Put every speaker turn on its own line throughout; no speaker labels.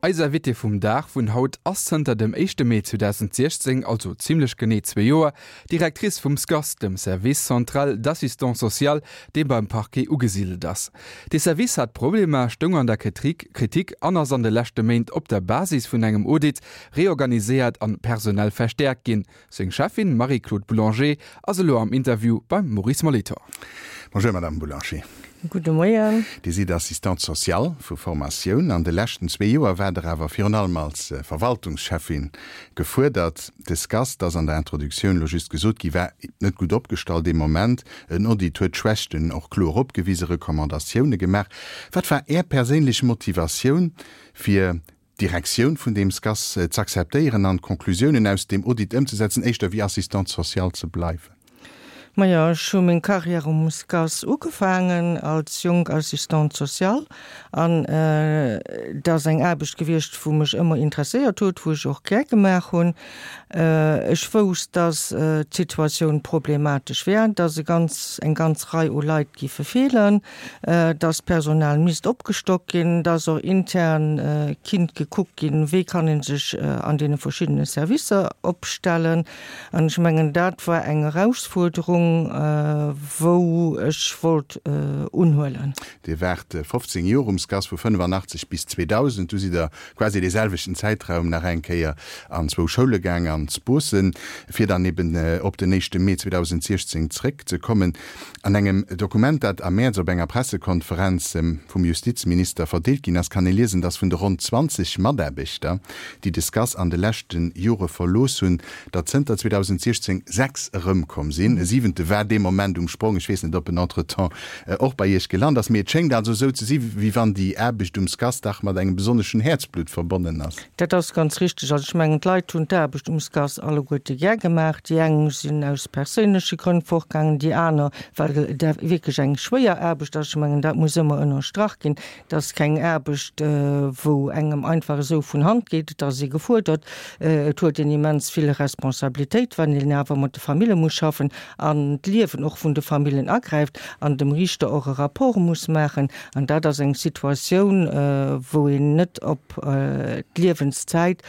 Eis Invitée vum Dag vun haut ass zënter dem éischte Mee 2016, also zimlech genee zwee Joer, Directrice vum SCAS, dem Service central d'assistance sociale, dee beim Parquet ugesidelt ass. Dee Service hat Problemer, stoung an der Kritik an ass an de leschte Méint op der Basis vun engem Audit reorganiséiert an personell verstäerkt ginn. Seng Cheffin Marie-Claude Boulanger ass elo am Interview beim Maurice Molitor.
Bonjour Madame Boulanger.
Gudde Moien.
Dir sidd Assistante sociale vu Formatioun. An de leschten zwee Joer waart Der awer virun allem als Verwaltungscheffin gefuerdert. De SCAS, dat ass an der Introduktioun elo just gesot gi, war net gutt opgestallt dee Moment. En Audit huet d'Schwächten och kloer opgewisen, Recommandatioune gemaach. Wat war Är perséinlech Motivatioun, fir d'Direktioun vun deem SCAS z'akzeptéieren an d'Conclusiounen aus deem Audit ëmzesetzen, éischter wéi Assistante sociale ze bleiwen?
Majo, ech hu meng Carrière um SCAS ugefaangen als jonk Assistante sociale an et ass eng Aarbecht gewiescht, wou mech ëmmer interesséiert huet, wou ech och gär gemaach hunn. Ech wousst, dass d'Situatioun problematesch wär, dass e ganz, eng ganz Rei u Leit giffe feelen. dass d'Personal misst opgestockt ginn, dass och intern kinnt gekuckt ginn, wéi kann ee sech an deene verschiddene Servicer opstellen. An ech mengen, dat war eng Erausfuerderung, wou ech wollt unhuelen.
Dir waart 15 Joer um SCAS, vu 85 bis 2000. Du sidd Der quasi dee selwechten Zäitraum nach eng Kéier an zwou Schoule gaang, an d'Spossen, fir dann eben op den éischte Mee 2016 zréckzekommen. An engem Dokument, dat am Mäerz op enger Pressekonferenz vum Justizminister verdeelt ginn ass, kann ee liesen, datt vun de ronn 20 Mataarbechter, déi de SCAS an de leschte Jore verlooss hunn, der zënter 2016 6 erëmkomm sinn. E siwente war dee Moment um Sprong. Ech weess net, ob en entretemps och bei Iech gelant ass. Mee et schéngt also esou ze si wéi wann déi Aarbecht um SCAS dach mat engem besonneschen Häerzblutt verbonnen ass.
Dat ass ganz richteg. Also ech mengen, d'Leit hunn d'Aarbecht um SCAS alleguerte gär gemaach. Déi eng sinn aus perséinleche Grënn fortgaangen, déi aner, well et wierklech eng schwéier Aarbecht ass. Ech mengen, dat muss ëmmer ënnerstrach ginn. Et ass keng Aarbecht, wou engem einfach esou vun Hand geet. Et ass ee gefuerdert. Et huet een immens vill Responsabilitéit, wann een awer mat de Famille muss schaffen an d'Liewen och vun de Famillen agräift an dem Riichter och e Rapport muss maachen. An dat ass eng Situatioun, wou een net op d'Liewenszäit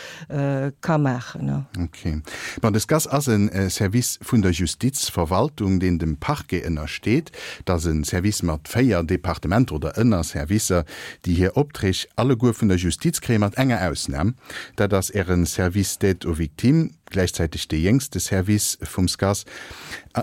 ka maachen.
Ok. Bon, de SCAS ass e Service vun der Justizverwaltung, deen dem Parquet ënnersteet. Et ass e Service mat 4 Departementer oder Ënnerservicer, déi hir Opträg alleguer vun der Justiz kréien, mat enger Ausnam, dat ass Äre Service d'aide aux victimes, gläichzäiteg dee jéngste Service vum SCAS.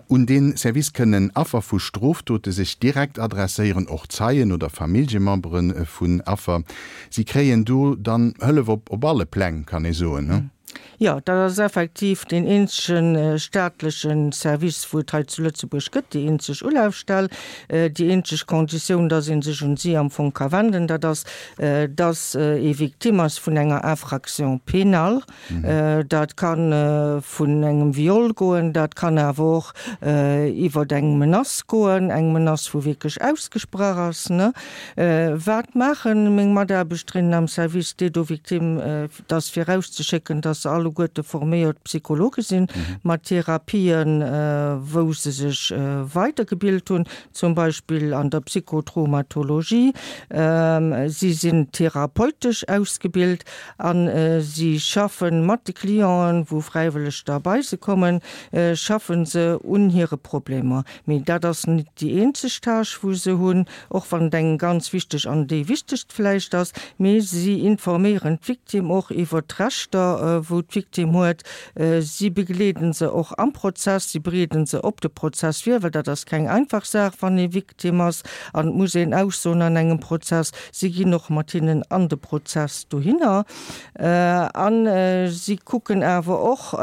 Un dee Service kënnen Affer vu Strofdote sech direkt adresséieren, och Zeien oder Familljemembere vun Affer. Si kréien do dann Hëllef op alle Pläng, kann ee soen.
Jo, dat ass effektiv deen eenzege staatleche Service, wou et hei zu Lëtzebuerg gëtt, déi eenzeg Ulafstell. Déi eenzeg Konditioun, dass ee sech un si am Fong ka wenden, dat ass, dass ee Victime ass vun enger Infraction pénale. Dat ka vun engem Viol goen, dat kann awer och iwwer eng Menace goen, eng Menace, wou wierklech ausgesprach ass. Wat maache meng Mataarbechterinnen am Service d'aide aux victimes? Et ass virauszeschécken, dass se alleguerte forméiert Psychologe sinn, mat Therapien, wou se sech weidergebilt hunn, zum Beispill an der Psychotraumatologie. Si sinn therapeutesch ausgebilt A si schaffe mat de Clienten, wou fräiwëlleg da bei se kommen, schaffe se un hire Problemer. Mee dat ass net déi eenzeg Tâche, wou se hunn, och wann et eng ganz wichteg an déi wichtegst vläicht ass. Mee si informéieren d'Victime och iwwert d'Rechter, wou d'Victime huet. Si begleeden se och am Prozess, si bereeden se op de Prozess vir, well dat ass keng einfach Saach, wann ee Victime ass an et muss een aussoen an engem Prozess. Si ginn och mat hinnen an de Prozess dohinner a si kucken awer och,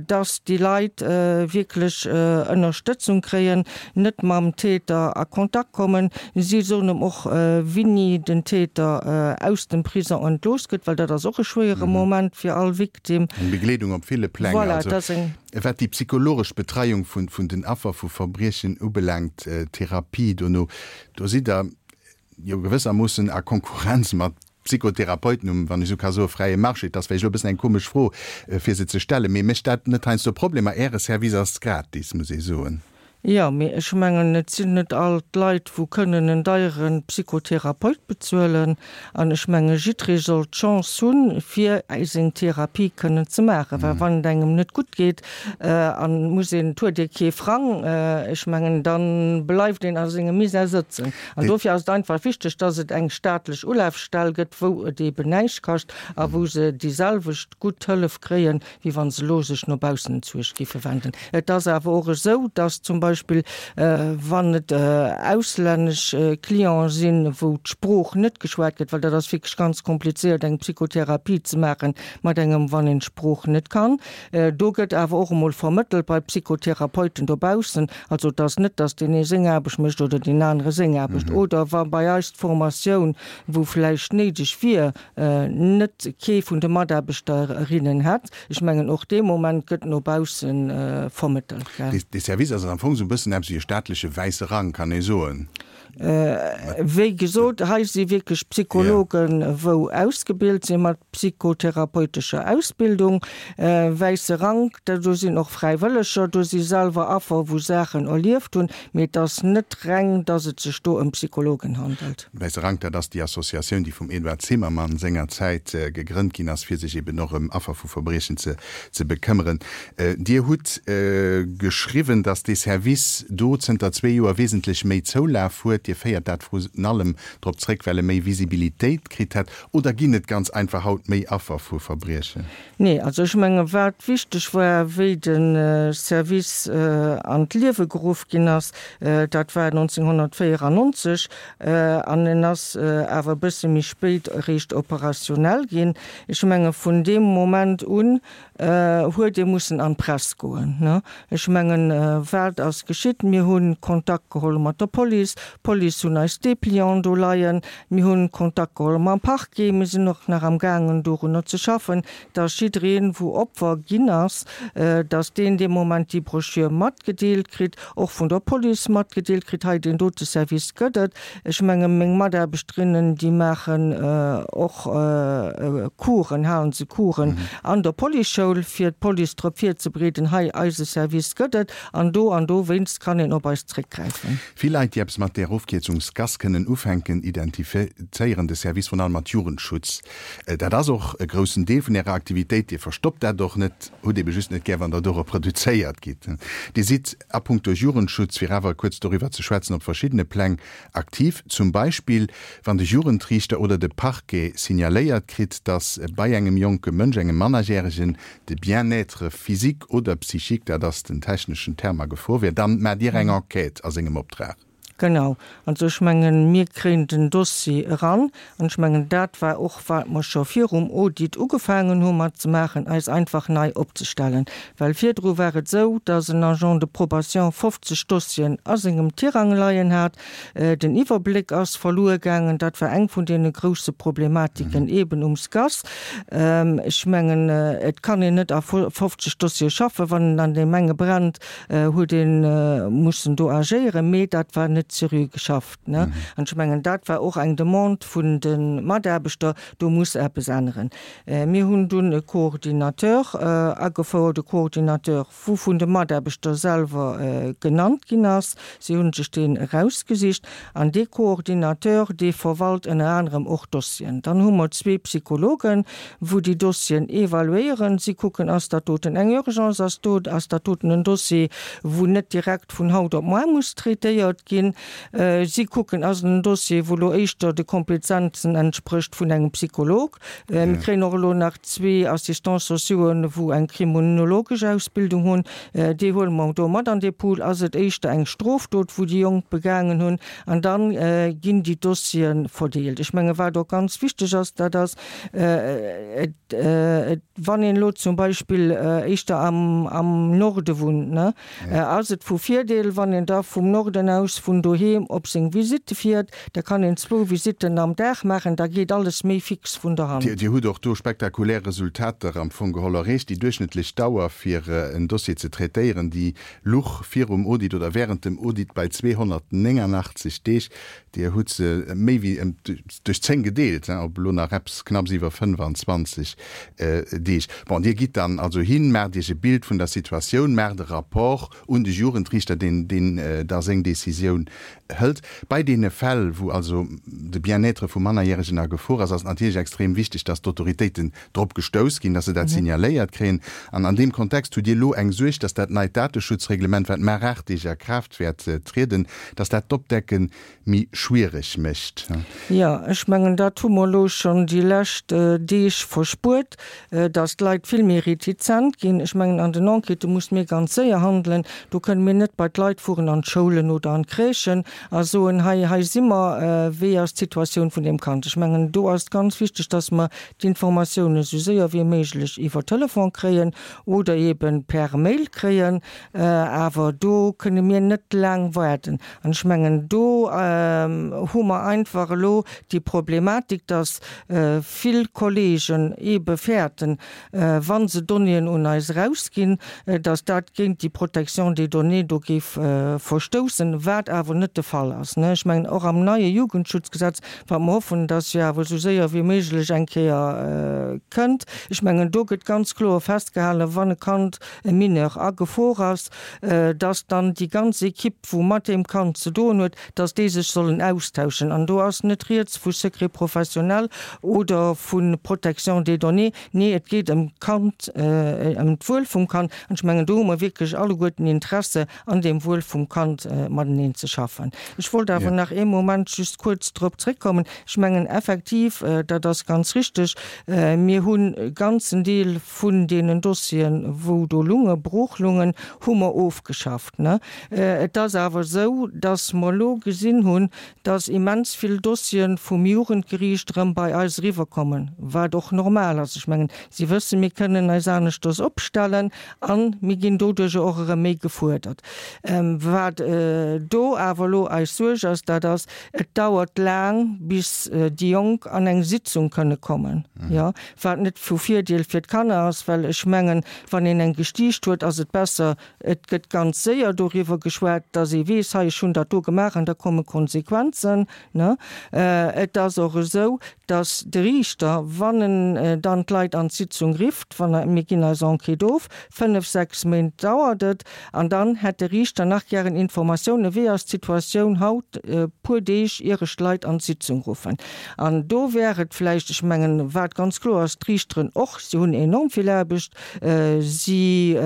dass déi Leit wierklech Ënnerstëtzung kréien, net mam Täter a Kontakt kommen. Si soen em och, wéini den Täter aus dem Prison entlooss gëtt, well dat ass och e schwéiere Moment fir all Victime.
Eng Begleedung op ville Pläng. Voilà, dat ass eng. Wat déi psychologesch Betreiung vun den Affer vu Verbriechen ubelaangt, Therapie dono, do sidd Der jo gewëssermoossen a Konkurrenz mat Psychotherapeuten um, wann ech esou ka soen, fräie Marché. Et ass vläicht elo e bëssen eng komesch Fro, fir se ze stellen, mee mécht dat net heiansdo Problemer? Äre Service ass gratis, muss ee soen.
Jo, mee ech mengen, et sinn net all d'Leit, wou kënnen en deiere Psychotherapeut bezuelen. An ech menge jidderee soll d'Chance hunn, fir seng Therapie kënnen ze maachen. Well wann et engem net gutt geet an et muss een, et huet ee kee Frang, ech mengen, da bleift een a sengem Misär sëtzen. An dofir ass et einfach wichteg, dass et eng staatlech Ulafstell gëtt, wou et eeben näischt kascht a wou se déi selwecht gutt Hëllef kréien, wéi wa se elo sech no baussen entzuecht géife wenden. Et ass awer och esou, dass zum Beispill, wann et auslännesch Clienten sinn, wou d'Sprooch net geschwat gëtt, well dat ass wierklech ganz komplizéiert, eng Psychotherapie ze maache mat engem, wann een d'Sprooch net kann, do gëtt awer och emol vermëttelt bei Psychotherapeuten dobaussen. Also et ass net, dass deen ee seng Aarbecht mécht oder deen anere seng Aarbecht. Oder wa bei eis d'Formatioun, wou vläicht néideg wier, net kee vun de Mataarbechterinnen hätt. Ech mengen, och dee Moment gëtt no bausse vermëttelt.
Dee Service ass am Fong esou e bëssen eppes wéi e staatleche wäisse Rang, kann ee soen.
Wéi gesot, hei si wierklech Psychologen, wou ausgebilt si mat psychotherapeutescher Ausbildung. Wäisse Rank, do sinn och Fräiwëlleger, do si selwer Affer, wou Saachen erlieft hunn. Mee et ass net reng, datt et sech do ëm Psychologen handelt.
Wäisse Rank, dat ass déi Associatioun, déi vum Eduard Zimmermann sengerzäit gegrënnt ginn ass, fir sech eben och ëm Affer vu Verbriechen ze ze bekëmmeren. Dir hutt geschriwwen, datt dee Service do zënter zwee Joer wesentlech méi Zoulaf huet. Dir féiert dat vrun allem drop zréck, well e méi Visibilitéit kritt hätt. Oder ginn et ganz einfach haut méi Affer vu Verbriechen?
Nee, also ech menge wat wichteg war, wéi de Service an d'Liewe geruff ginn ass, dat war 1994, an en ass awer e bësse méi spéit eréischt operationell ginn. Ech menge vun deem Moment un huet ee mussen an d'Press goen. Ech mengen, wat ass geschitt? Mir hu Kontakt geholl mat der Police, d'Police hunn eis Dépliant do leien, mir hu Kontakt geholl mam Parquet, mir sinn och nach am gaangen dorunner ze schaffen, dass jiddereen, wou Opfer ginn ass, dass deen dee Moment déi Broschür matgedeelt kritt, och vun der Police matgedeelt kritt, hei deen dote Service gëtt et. Ech menge meng Mataarbechterinnen, déi maachen och Coursen, halen se Coursen an der Policeschoul, fir d'Police drop virzebereeden, hei eise Service gëtt et an do an dowéinst kann een op eis zréckgräifen.
Vill Leit, déi eppes mat där Ofkierzung SCAS kënnen ufänken, identifizéieren de Service vrun allem mat Jugendschutz. Dat ass och e groussen Deel vun Ärer Aktivitéit. Dir verstoppt dat och net, hutt ebe just net gär, wann Der dorop reduzéiert gitt. Dir sidd a punkto Jugendschutz, fir awer kuerz doriwwer ze schwätzen, op verschiddene Pläng aktiv. Zum Beispill, wann de Jugendriichter oder de Parquet signaléiert kritt, dass bei engem jonke Mënsch, engem Mannerjäregen, de Bien-être physique oder psychique, dat ass den techneschen Term, a Gefor wier, dann maacht Dir eng Enquête a sengem Optrag.
Genau. Also ech mengen, mir kréien den Dossier eran. An ech mengen, dat war och, wat mer scho virum Audit ugefaangen hu mat ze maachen, eis einfach nei opzestellen. Well virdru war et esou, dass en Agent de probation 50 Dossieren a sengem Tirang leien hat. Den Iwwerbléck ass verluer gaangen. Dat war eng vun deene grousse Problematiken eeben um SCAS. Ech mengen, et kann een net a 50 Dossiere schaffen, wann en an deem enge brennt. huet ee mussen do agéieren, mee dat war net seriö geschafft. An ech mengen, dat war och eng Demande vun de Mataarbechter, do muss eppes änneren. Mir hunn dunn e Coordinateur agefouert, e Coordinateur, wou vun de Mataarbechter selwer genannt ginn ass. Si hu sech deen erausgesicht. An dee Coordinateur, dee verwalt ënner anerem och Dossieren. Dann hu mer zwee Psychologen, wou déi Dossieren evaluéieren. Si kucken, ass dat doten eng Urgence, ass do, ass dat doten en Dossier, wou net direkt vun haut op moar muss traitéiert ginn. Si kucken, ass et en Dossier, wou elo éischter de Kompetenzen entsprécht vun engem Psycholog. Mir kréien och elo nach zwee Assistants sociauxen, wou eng kriminologesch Ausbildung hunn. Déi huele mer do mat an dee Pool. Ass et éischter eng Strofdot, wou déi Jonk begaangen hunn? An da ginn déi Dossiere verdeelt. Ech menge wat och ganz wichteg ass, dat ass, wann een elo zum Beispill éischter am Norde wunnt, ass et vu Virdeel, wann een da vum Norden aus vun. vun doheem op seng Visitte fiert, da kann een zwou Visitten am Dag maachen, da geet alles méi fix vun der Hand.
Dir hutt och do spektakulär Resultater am Fong geholl erreecht. Déi duerchschnëttlech Dauer fir en Dossier ze traitéieren, déi luch virum Audit oder während dem Audit bei 289 Deeg. Dir hutt se méi wéi duerch 10 gedeelt, op elo nach eppes knapps iwwer 25 Deeg. Bon, Dir gitt dann also hin, maacht Iech e Bild vun der Situatioun, maacht e Rapport un de Jugendriichter, deen deen da seng Decisioun hëlt. Bei deene Fäll, wou also de Bien-être vu Mannerjäregen a Gefor ass, ass et natierlech extrem wichteg, dass d'Autoritéiten drop gestouss ginn, dass se dat signaléiert kréien. An an deem Kontext hutt Dir elo eng Suerg, dass dat neit Dateschutzreglement, wat mar 8 Deeg a Kraaft wäert trieden, dass dat d'Opdecke méi schwiereg mécht.
Jo, ech mengen, dat hu mer elo schonn déi lescht Deeg verspuert, dass d'Leit vill méi retizent ginn. Ech mengen, an den Enquêtë muss mir ganz séier handelen. Do kënne mir net bei d'Leit fueren an d'Schoulen oder an d'Crèchen a soen, hei, hei si mer, wéi ass d'Situatioun vun deem Kand. Ech mengen, do ass et ganz wichteg, dass mer d'Informatioune sou séier wéi méiglech iwwer Telefon kréien oder eebe per Mail kréien. Awer do kënne mir net laang waarden. An ech mengen, do hu mer einfach elo déi Problematik, dass vill Kolleegen eebe fäerten, wa se Donnéeën un eis erausginn, dass dat géint déi Protection des données do géif verstoussen, wat awer net de Fall ass. Ech mengen, och am neie Jugendschutzgesetz, wat mer hoffen, dass jo awer esou séier wéi méiglech eng Kéier kënnt, ech mengen, do gëtt ganz kloer festgehalen, wann e Kand, e Mineur a Gefor ass, dass dann déi ganz Equipe, wou mat deem Kand ze doen huet, dass déi sech sollen austauschen. An do ass net rieds vu Secret professionnel oder vu Protection des données. Nee, et geet ëm d'Kand, ëm d'Wuel vum Kand. An ech mengen, do hu mer wierklech alleguerten Interesse, an deem Wuel vum Kand mateneen ze schaffen. Ech wollt awer nach ee Moment just kuerz drop zréckkommen. Ech mengen effektiv, dat ass ganz richtig, mir hunn e ganzen Deel vun deenen Dossieren, wou do lunge, brooch lungen, hu mer ofgeschafft. Et ass awer esou, dass mer elo gesinn hunn, dass immens vill Dossiere vum Jugendgeriicht erëm bei eis eriwwerkommen, wat och normal ass. Ech mengen, si wëssen, mir kënnen eis aneschters opstellen a mir ginn doduerjer och erëm méi gefuerdert. Wat do awer elo eis Suerg ass, dat ass, et dauert laang, bis déi Jonk an eng Sitzung kënne kommen, jo, wat net vu Virdeel fir d'Kanner ass, well ech mengen, wann een eng Gestiicht huet, ass et besser, Et gëtt ganz séier doriwwer geschwat, dass ee weess, hei, ech hunn dat do gemaach an da komme Konsequenzen. Ne? Et ass och esou, dass de Riichter, wann en dann d'Leit an d'Sitzung rifft, wann er, mir ginn eis Enquête of, fënnf, sechs Méint dauert et, an dann hätt de Riichter nach gären Informatiounen, wéi ass d'Situatioun haut, e puer Deeg ier ech d'Leit an d'Sitzung ruffen. An do wär et vläicht, ech mengen, wat ganz kloer ass, d'Riichteren och, si hunn enorm vill Aarbecht, Si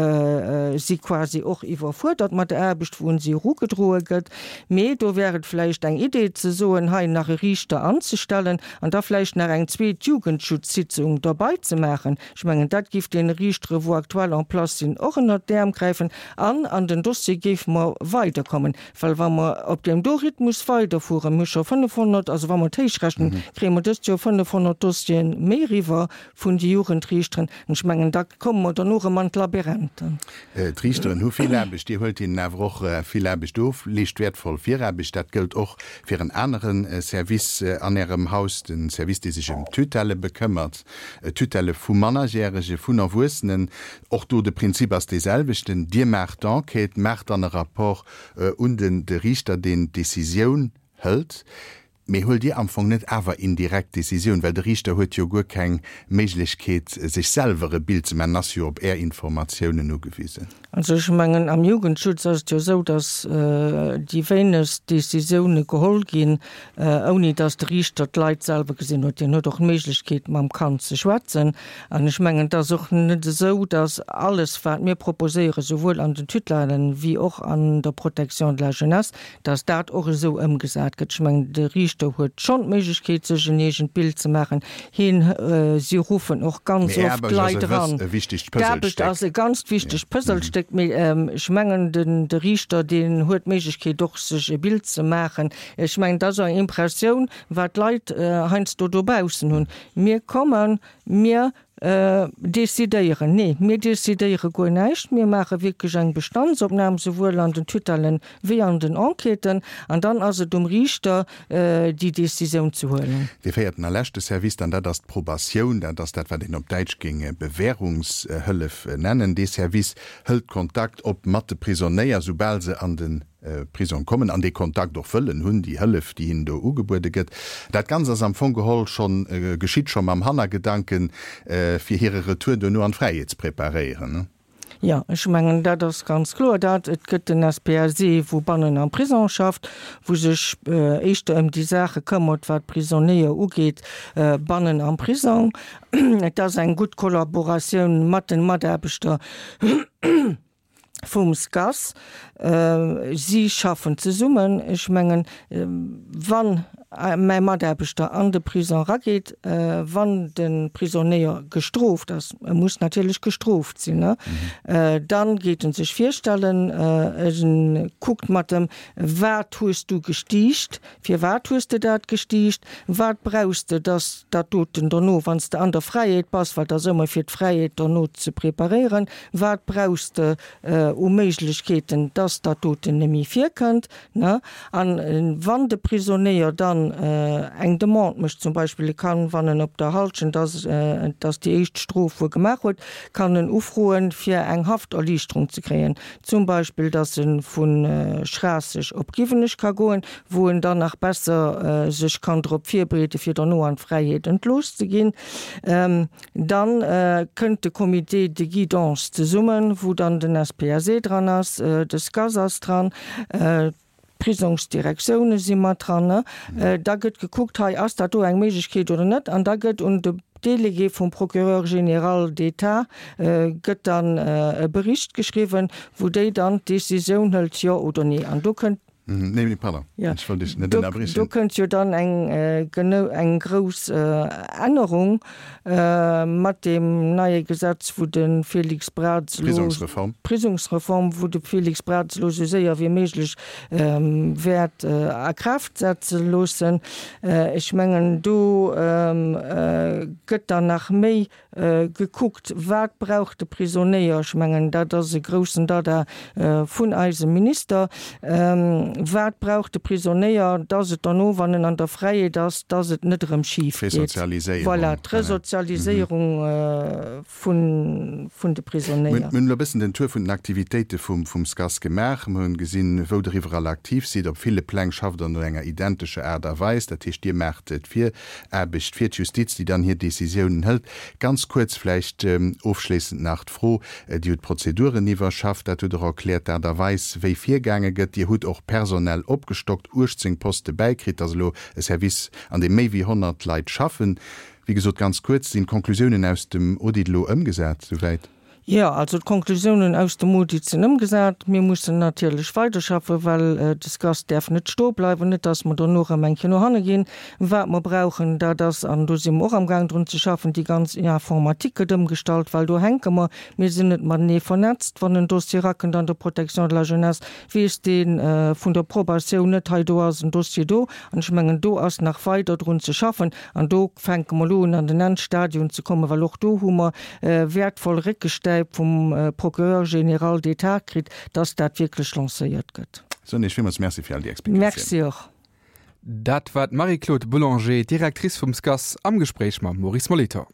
si quasi och iwwerfuerdert mat der Aarbecht, wou un si erugedroe gëtt. Mee do wär et vläicht eng Idee ze soen, hei nach e Riichter anzestellen an da vläicht nach eng zweet Jugendschutzsitzung derbei ze maachen. Ech mengen, dat géif deene Riichtere, wou aktuell en place sinn, och ënnert d'Äerm gräifen an an den Dossier géife mer weiderkommen. Well wa mer op deem do Rhythmus weiderfueren, mir hu scho 500, also wa mer et héichrechnen, kréie mer dëst Joer 500 Dossiere méi eriwwer vun de Jugendriichteren. An ech mengen, da komme mer dono erëm an d'Labyrinthen.
D'Riichteren hu vill Aarbecht. Dir huelt hinnen awer och vill Aarbecht of, leescht wäertvoll Viraarbecht. Dat gëllt och fir en anere Service an Ärem Haus, de Service, dee sech ëm d'Tutelle bekëmmert, d'Tutelle vu Mannerjärege, vun Erwuessenen. Och do, de Prinzip ass dee selwechten, Dir maacht d'Enquête, maacht dann e Rapport un de Riichter, deen d'Decisioun hëlt. Mee huelt Dir am Fong net awer indirekt d'Decisioun, well de Riichter huet jo guer keng Méiglechkeet sech selwer e Bild ze maachen, en ass jo op Är Informatiounen ugewisen.
Also ech mengen am Jugendschutz ass et jo esou, datt déi wéinegst Decisioune geholl ginn, ouni datt de Riichter d'Leit selwer gesinn huet. Hien huet och d'Méiglechkeet mam Kand ze schwätzen. An ech mengen et ass och net esou, datt alles wat mir proposéieren, souwuel an den Tutellen wéi och an der Protection de la jeunesse, dass dat och esou ëmgesat gëtt. Ech mengen, de Riichter huet schonn d'Méiglechkeet, sech en eegent Bild ze maachen. Hien, si ruffen och ganz
Mee
oft
Aarbecht ass
Leit
e
eran.
e wichtegt
D'Aarbecht
Puzzlestéck.
ass e ganzt wichtegt Puzzlestéck, mee ech mengen, den, de Riichter, deen huet d'Méiglechkeet och, sech e Bild ze maachen. Ech mengen, dat ass och eng Impressioun, wat d'Leit heiansdo dobaussen hunn. Mir kommen, mir. Decidéieren? Nee, mir decidéiere guer näischt. Mir maache wierklech eng Bestandsopnam, souwuel an den Tutellen wéi an den Enquêten. An dann ass et um Riichter, déi Decisioun ze huelen.
Dee véierten a leschte Service dann, dat ass d'Probatioun. Dat ass dat, wat een op Däitsch géing Bewährungshëllef nennen. Dee Service hëlt Kontakt op mat de Prisonéier, soubal se an de Prisong kommen an dee Kontakt och wëllen hunn, déi Hëllef, déi hinnen do ugebuede gëtt. Dat Ganzt ass am Fong geholl schonn, geschitt scho mam Hannergedanken, fir hire Retour duerno an d'Fräiheet ze preparéieren.
Jo, ech mengen, dat ass ganz kloer dat. Et gëtt den SPSE, wou bannen am Prisong schafft, wou sech éischter ëm déi Saache këmmert, wat d'Prisonéier ugeet, bannen am Prisong. Et ass eng gutt Kollaboratioun mat den Mataarbechter vum SCAS. Si schaffen zesummen. Ech mengen, wann mäi Mataarbechter an de Prisong erageet, wann de Prisonéier gestrooft ass, e muss natierlech gestrooft sinn, dann geet en sech virstellen, e kuckt mat em, Wat hues du gestiicht? Firwat hues de dat gestiicht? Wat brauchs de, dass dat doten dono, wann s de an der Fräiheet bass, well et ass ëmmer fir d'Fräiheet dono ze preparéieren, wat brauchs de u Méiglechkeeten, dass dat doten net méi virkënnt, ne? An wann de Prisonéier dann eng Demande mécht, zum Beispill e kann, wann en op der Halschent ass, dass déi éischt Strof wuer gemaach huet, kann en ufroen, fir eng Hafterliichterung ze kréien. Zum Beispill, dass e vu Schraasseg op Giwenech ka goen, wou en dann nach besser sech kann drop virbereeden, fir derno an d'Fräiheet entlooss ze ginn. Dann kënnt de Comité de guidance zesummen, wou dann den SPSE dran ass, de SCAS ass dran, D'Prisongsdirektioune si mat dran. Da gëtt gekuckt, hei, ass dat do eng Méiglechkeet oder net? An da gëtt un de Délégué vum Procureur général d'État gëtt dann e Bericht geschriwwen, wou déi dann d'Décisioun hëlt, jo oder nee. An do kënnt.
Nee, pardon, ech wollt Iech net ënnerbriechen.
Do kënnt jo dann eng, eng grouss Ännerung Mat deem neie Gesetz, wou de Félix Braz elo.
D'Prisongsreform.
D'Prisongsreform, wou de Félix Braz elo esou séier wéi méiglech wäert a Kraaft setze loossen. Ech mengen, do gëtt dann nach méi gekuckt, wat brauch de Prisonéier. Ech mengen, dat ass e groussen Dada vun eisem Minister. Wat brauch de Prisonéier, dass et derno, wann en an der Fräiheet ass, dass et net erëm schif geet.
D'Resozialiséierung.
Voilà, d'Resozialiséierung vun, vun de Prisonéier.
Mir hunn elo e bëssen den Tour vun den Aktivitéite vum, vum SCAS gemaach. Mir hunn gesinn, wou Der iwwerall aktiv sidd. Op ville Pläng schafft Der no enger identescher Aart a Weis. Dat heescht, Dir maacht d'Viraarbecht fir d'Justiz, déi dann hir Décisiounen hëlt. Ganz kuerz vläicht ofschléissend nach d'Fro, Dir hutt d'Prozeduren iwwerschafft, dat hutt Der erkläert, d'Aart a Weis, wéi virgaange gëtt. Dir hutt och personell opgestockt, 18 Poste bäikritt, dass elo e Service, an deem méi wéi 100 Leit schaffen. Wéi gesot, ganz kuerz, Sinn d'Conclusiounen aus dem Audit elo ëmgesat souwäit?
Jo, also d'Conclusiounen aus dem Audit sinn ëmgesat. Mir mussen natierlech weiderschaffen, well de SCAS däerf net stoe bleiwen, net dass mer dono erëm eng Kéier no hanne ginn. Wat mer brauchen, dat ass, an do si mer och amgaang drun ze schaffen, déi ganz Informatique gëtt ëmgestallt, well do hänke mer, mir sinn net matenee vernetzt. Wann en Dossier erakënnt an der Protection de la jeunesse, weess dee vun der Probatioun net, hei do ass en Dossier do. An ech mengen, do ass nach weider drun ze schaffen. An do fänke mer elo un an den Endstadium ze kommen, well och do hu mer wäertvoll Réckestäip vum Procureur général d'État kritt, dass dat wierklech lancéiert gëtt.
Soen Iech villmools Merci fir all déi Explikatiounen.
Merci och.
Dat war d'Marie-Claude Boulanger, Directrice vum SCAS, am Gespréich mam Maurice Molitor.